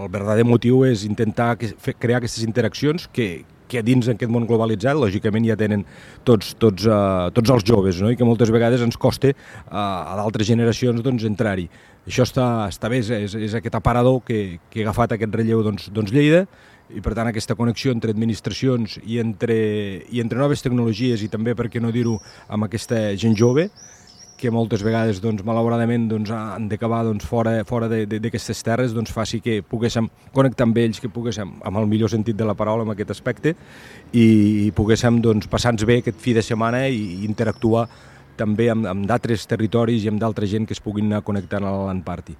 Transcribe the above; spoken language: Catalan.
el verdader motiu és intentar crear aquestes interaccions que dins d'aquest món globalitzat, lògicament ja tenen tots els joves, no? I que moltes vegades ens costa a d'altres generacions entrar-hi. Això està bé, és aquest aparador que ha agafat aquest relleu Lleida, i per tant aquesta connexió entre administracions i entre noves tecnologies i també, per què no dir-ho, amb aquesta gent jove, que moltes vegades, malauradament, han d'acabar fora d'aquestes terres, faci que poguéssim connectar amb ells, que poguéssim, amb el millor sentit de la paraula, en aquest aspecte, i poguéssim passar-nos bé aquest fi de setmana i interactuar també amb d'altres territoris i amb d'altra gent que es puguin anar connectant a la LAN Party.